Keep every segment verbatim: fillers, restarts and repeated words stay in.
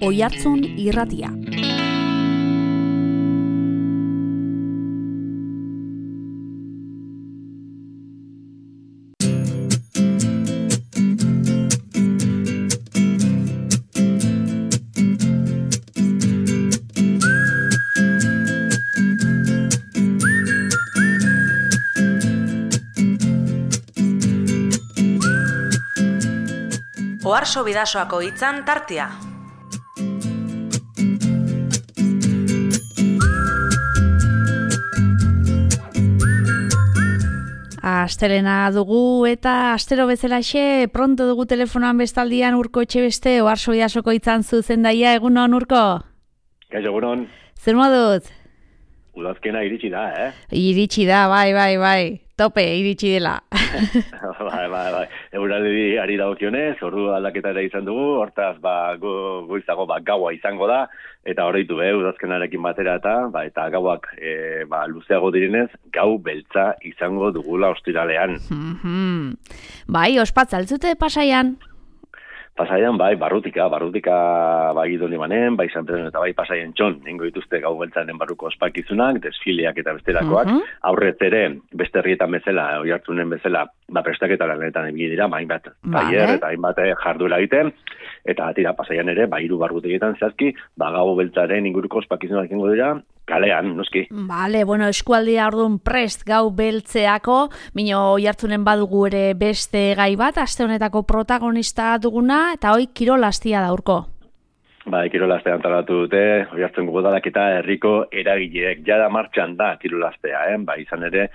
Oihartzun irratia. Oharso Bidasoako hitzan tartea. Astelena dugu eta astero bezalaxe pronto dugu telefonoan bestaldian Urko Etxebeste Oharso Bidasoko hitzan zuzendaia. Egunon, Urko? Kaixo, egunon. Zer moduz? Udazkena iritsi da, eh? Iritsi da, bai, bai, bai. Tope, iritsi dela. bai, bai, bai. Euraldi ari dagokionez, ordu aldaketa ere izan dugu, hortaz, ba, go, goizago, ba, gaua izango da, eta horreitu, eh, udazkenarekin batera eta, ba, eta gauak, e, ba, luzeago direnez, gau beltza izango dugula ostiralean. Mm-hmm. Bai, ospatza, altzute Pasaian? Pasaian, bai, barrutika, barrutika bai Idoni Manen, bai San Pedro eta bai Pasaian txon, nengo dituzte gau beltzaren barruko ospakizunak, desfileak eta bestelakoak, uh-huh. Aurrez ere, beste herrietan bezala, Oihartzunen bezala, ba, prestaketa lanetan ibili dira, ba, hainbat tailer eta hainbat jarduera egiten, eta tira Pasaian ere, ba, hiru barrutegetan zehazki, ba, gau beltzaren inguruko ospakizunak egingo dira, kalean, noski. Vale, bueno, eskualdia orduan prest gau beltzeako, mino Oihartzunen badugu ere beste gai bat, aste honetako protagonista duguna, eta hoi kirolastia da, Urko. Ba, kirolastea antalatu dute, Oihartzungo udalak eta herriko eragileek jada martxan da kirolastea, eh? Ba, izan ere,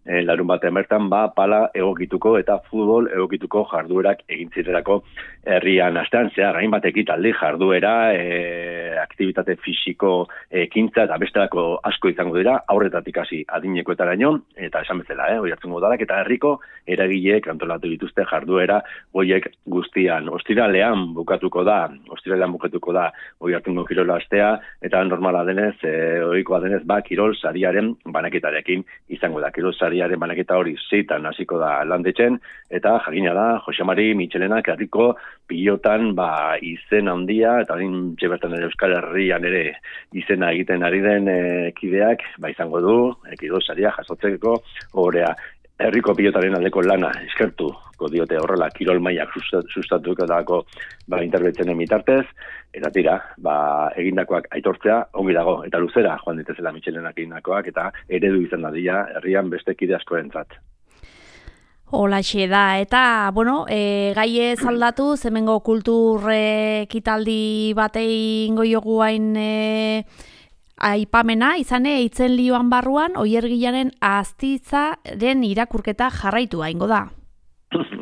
eh, larun batean bertan, ba, pala egokituko eta futbol egokituko jarduerak egin zirelako herrian astean, zehar, hainbat ekitaldi jarduera, eh, aktibitate fisiko ekintza eta bestelako asko izango dira, aurretatik hasi adinekoetaraino, eta esan bezala, eh? Oihartzungo udalak eta herriko eragileek antolatu dituzte jarduera hoiek guztian. Ostiralean bukatuko da, ostiralean bukatuko da Oihartzungo kirolastea, eta normala denez, e, ohikoa denez, ba, kirol sariaren banaketarekin izango da. Kirol sariaren banaketa hori zeitan hasiko da landetzen, eta jakina da, Jose Mari Mitxelenak herriko pilotan ba, izen handia, eta hain txebertan ere Euskal Herrian ere izena egiten ari den e, kideak, ba, izango du, e, kirol saria jasotzeko orea. Herriko pilotaren aldeko lana eskertu diote horrela kirol mailak sustatuko dago ba, interbetzenen bitartez, eta tira, ba, egindakoak aitortzea ongi dago, eta luzera joan ditezela Mitxelenak egindakoak, eta eredu izan dadila herrian beste kide askorentzat. Holaxe da, eta, bueno, e, gai ez aldatu, zemengo kultur ekitaldi batei ingo jogu hain e, aipamena, izane, eitzen lioan barruan, Oiergilaren Astitzaren irakurketa jarraitu aingo da.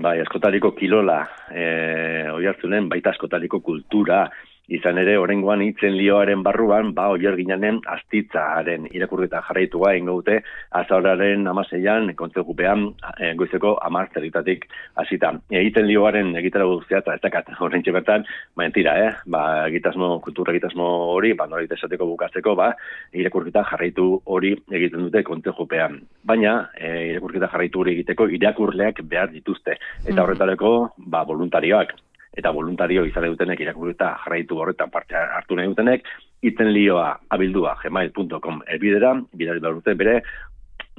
Bai, askotariko kilola, e, Oihartzunen, baita askotariko kultura, izan ere, oraingoan hitzen lioaren barruan, ba, Oiergilaren Astitzaren irakurketa jarraitua ingo dute, azauraren amaseian, kontzegupean, e, goizeko hamar zerritatik hasita. Hitzen lioaren egitara guztia, eta ez dakat, horrentxe bertan, ba, entira, eh? Ba, egitasmo, kultura egitasmo hori, ba, norit esateko bukatzeko, ba, irakurketa jarraitu hori egiten dute kontzegupean. Baina, e, irakurketa jarraitu hori egiteko irakurleak behar dituzte, eta horretareko, ba, voluntarioak. Eta voluntario izan dutenek irakurketa jarraitu horretan parte hartu nahi dutenek, hitzen lioa abildua gmail punto com elbidera, bidali behar dute bere,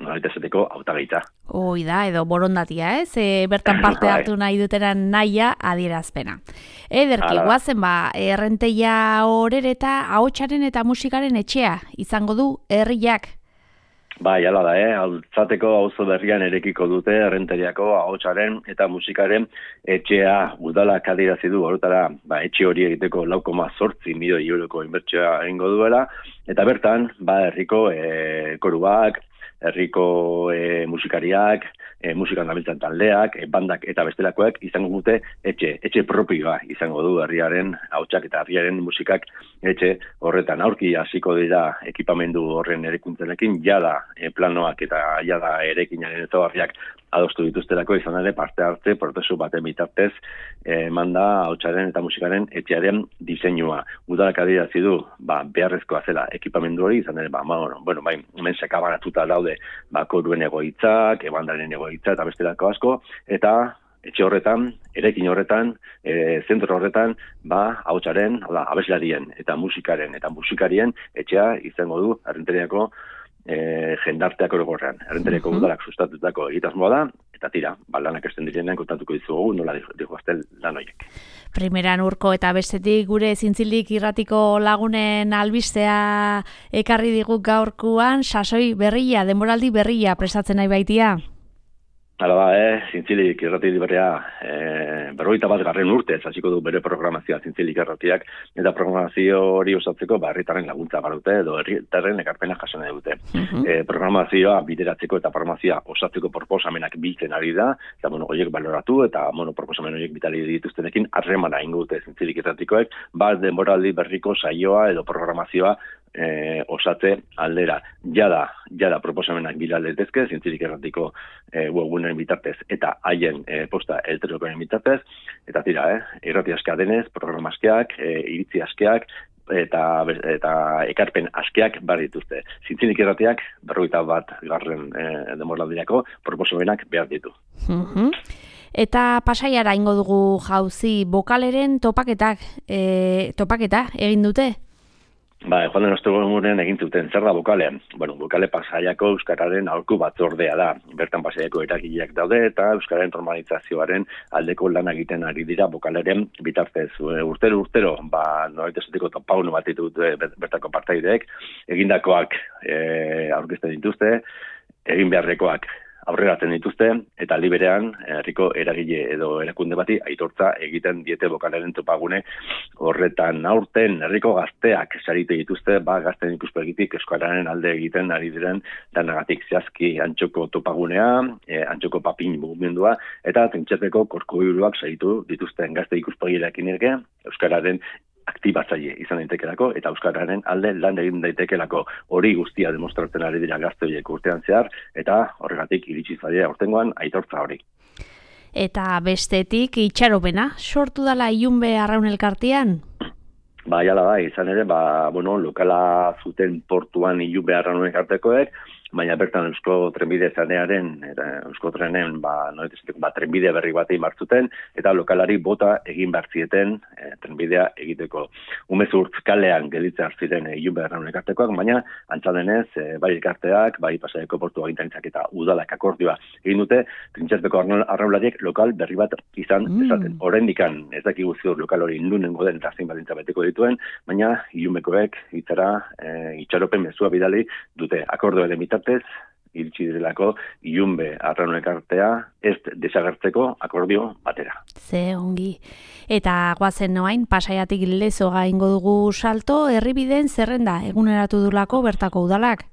noraita esateko hautagaitza. Hoi da, edo borondatia, ez? E, bertan parte hartu nahi duteran nahia adierazpena. Ederki, guazen ba, errenteia horere eta ahotsaren eta musikaren etxea izango du herriak. Bai, hala da, eh? Altzateko auzo berrian erekiko dute errenteriako ahotsaren eta musikaren etxea udalak adierazi du horretara, ba, etxe hori egiteko lau koma zortzi milioi euroko inbertsioa egingo duela, eta bertan, ba, herriko e, koruak, herriko e, musikariak, e, musikan dabiltzan taldeak, e, bandak eta bestelakoak izango dute etxe, etxe propioa izango du herriaren ahotsak eta herriaren musikak etxe horretan. Aurki hasiko dira ekipamendu horren erekuntzenekin, jada e, planoak eta jada erekinaren ezaugarriak adostu dituztelako izan ere parte hartze prozesu baten bitartez eman da ahotsaren eta musikaren etxearen diseinua. Udalak adierazi du, ba, beharrezkoa zela ekipamendu hori izan ere, ba, bueno, bueno, bai, hemen sakabanatuta daude ba, koruen egoitzak, ebandaren egoitza eta bestelako asko, eta etxe horretan, erekin horretan, e, zentro horretan, ba, ahotsaren, da, abeslarien eta musikaren eta musikarien etxea izango du Errenteriako e, jendarteak orokorrean. Errenteriako uh-huh. udalak sustatutako egitasmoa da, eta tira, ba, lanak esten direnean kontatuko dizugu, nola dihoazten lan horiek. Primeran urko eta bestetik gure zintzilik irratiko lagunen albistea ekarri digu gaurkuan, sasoi berria, denboraldi berria prestatzen nahi baitia. Hala da, eh? Zintzilik irrati berria eh, berrogeita bat garren urte hasiko du bere programazioa Zintzilik irratiak, eta programazio hori osatzeko ba, herritarren laguntza badute edo herritarren ekarpena jaso nahi dute. Uh-huh. Eh, programazioa bideratzeko eta programazioa osatzeko proposamenak biltzen ari da, eta bueno, horiek baloratu eta bueno, proposamen horiek bitali dituztenekin harremana ingo dute Zintzilik irratikoek, bat denboraldi berriko saioa edo programazioa E, osatze aldera. Jada, jada proposamenak bilaldetezke, Zintzilik erratiko e, webgunen bitartez eta haien e, posta elektrikoen bitartez, eta tira, eh, irrati askea denez, programa askeak, e, iritzi askeak, eta eta ekarpen askeak bar dituzte. Zintzilik irratiak berrogeita bat garren e, denboraldirako proposamenak behar ditu. Uh-huh. Eta Pasaiara ingo dugu jauzi, bokaleren topaketak, e, topaketa egin dute? Ba, joan den ostegunean egin zuten, zer da bokale? Bueno, bokale Pasaiako euskararen aholku batzordea da. Bertan Pasaiako eragileak daude eta euskararen normalizazioaren aldeko lan egiten ari dira bokaleren bitartez. Urtero urtero, ba, norbait esateko topaguno bat ditut bertako partaideek, egindakoak e, aurkezten dituzte, egin beharrekoak aurreratzen dituzte, eta liberean herriko eragile edo erakunde bati aitortza egiten diete bokalaren topagune horretan. Aurten herriko gazteak saritu dituzte, ba, gazten ikuspegitik euskararen alde egiten ari diren lanagatik zehazki antxoko topagunea, e, antxoko papin mugimendua, eta Trintxerpeko korkubiluak saritu dituzten gazte ikuspegirekin ere euskararen aktibatzaile izan daitekelako eta euskararen alde lan egin daitekelako. Hori guztia demostratzen ari dira gazte horiek urtean zehar, eta horregatik iritsi zaie aurtengoan aitortza hori. Eta bestetik itxaropena, sortu dala Ilunbe Arraun Elkartean? Ba, jala da, izan ere, ba, bueno, lokala zuten portuan Ilunbe Arraun Elkartekoek, baina bertan Eusko Trenbide zanearen, eta Eusko Trenen, ba, noetezik, ba, trenbide berri bat egin martzuten, eta lokalari bota egin bartzieten e, trenbidea egiteko. Umezurtz kalean gelitze hartziren e, Ilunbe Arraun Elkartekoak, baina antzadenez, e, bai elkarteak, bai Pasaiako portu agintaritzak eta udalak akordioa egin dute, Trintxerpeko arraunlariek lokal berri bat izan mm. esaten. Oraindikan ez dakigu ziur lokal hori nunengo den eta zein baldintza beteko dituen, baina Ilunbekoek hitzara e, itxaropen mezua bidali dute akordioaren bitartez iritsi direlako Ilunbe Arraun Elkartea ez desagertzeko akordio batera. Ze ongi. Eta goazen noain, Pasaiatik Lezoga ingo dugu salto, herribideen zerrenda eguneratu dulako bertako udalak?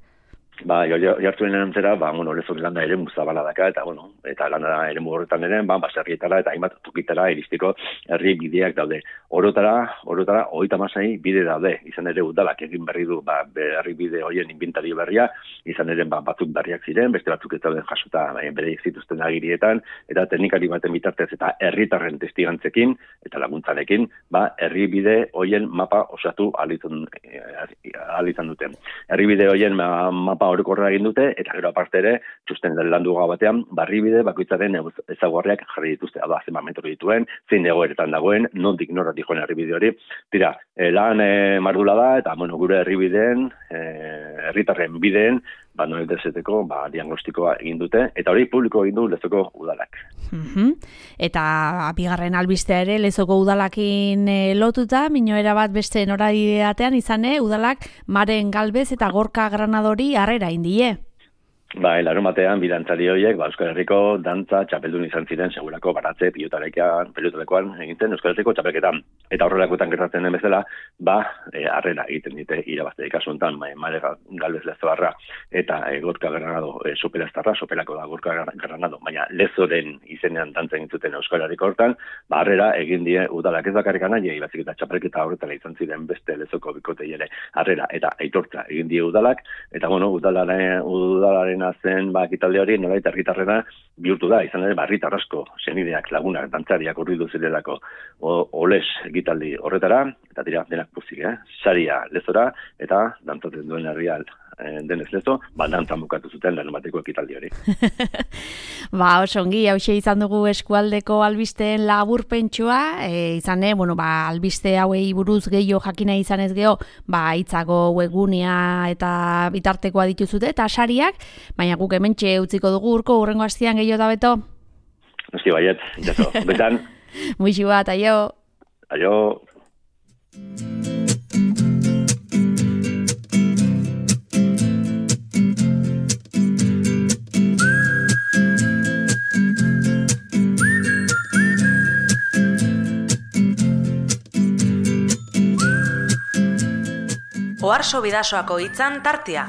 Ba, jartuen erantzera, ba, bueno, Lezok landa ere muzabala daka, eta, bueno, eta landa ere horretan ere, ba, baserrietara eta hainbat tukitara iristiko herri bideak daude. Orotara, orotara, hogeita hamasei bide daude, izan ere udalak egin berri du, ba, herri bide horien inventario berria, izan ere, ba, batzuk berriak ziren, beste batzuk ez dauden jasota bereik zituzten agirietan, eta teknikari baten bitartez eta herritarren testigantzekin, eta laguntzarekin, ba, herri bide horien mapa osatu ahal izan duten. Herri bide horien mapa orokorra egin dute, eta gero aparte ere, txusten landuga batean, barribide bakoitzaren ezaguarriak jarri dituzte, hau da, zenbat metro dituen, zein egoeretan dagoen, nondik norratik joan herribide hori. Tira, eh, lan eh, mardula da, eta bueno, gure herribideen, eh, herritarren bideen, ba, noel dezeteko, ba, diagnostikoa egin dute, eta hori publiko egin du Lezoko udalak. Uh-huh. Eta bigarren albistea ere, Lezoko udalakin e, lotuta, minoera bat beste noradideatean izan, e, udalak Maren Galbez eta Gorka Granadori harrera indie. Ba, larun batean, bidantzari horiek, ba, Euskal Herriko dantza txapeldun izan ziren, segurako baratze, pilotarekoan, pilotarekoan egintzen Euskal Herriko txapelketan. Eta horrelakoetan gertatzen den bezala, ba, e, harrera egiten dite irabazte kasu honetan, ba, Mare Galbez Lezoarra eta e, Gorka Granado e, sopelastarra, sopelako da Gorka Granado, baina Lezoren izenean dantza egin zuten Euskal Herriko hortan, ba, harrera egin die udalak ez bakarrik anai, ibazik eta txapelketa horretara izan ziren beste Lezoko bikotei ere harrera eta aitortza egin die udalak, eta bueno, udalaren, udalaren zen ba, ekitalde hori nolait herritarrena bihurtu da, izan ere herritar asko, senideak, lagunak, dantzariak urridu zirelako oles ekitaldi horretara, eta dira denak puzik, eh? Saria Lezora eta dantzatzen duen herria e, denez lezo, ba, dantzan bukatu zuten larunbateko ekitaldi hori. Ba, oso ongi, hauxe izan dugu eskualdeko albisteen laburpentsua, e, izan, e, bueno, ba, albiste hauei buruz gehiago jakina izan ez geho, ba, hitzago webgunea eta bitartekoa dituzute, eta sariak, baina guk hementxe utziko dugu urko, urrengo astian gehiago da beto. Noski baiet, jaso, betan. Muixu bat, aio. Aio. Oarso Bidasoako hitzan tartea.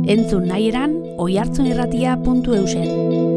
Entzun nahi eran, oihartzunirratia puntu eusen.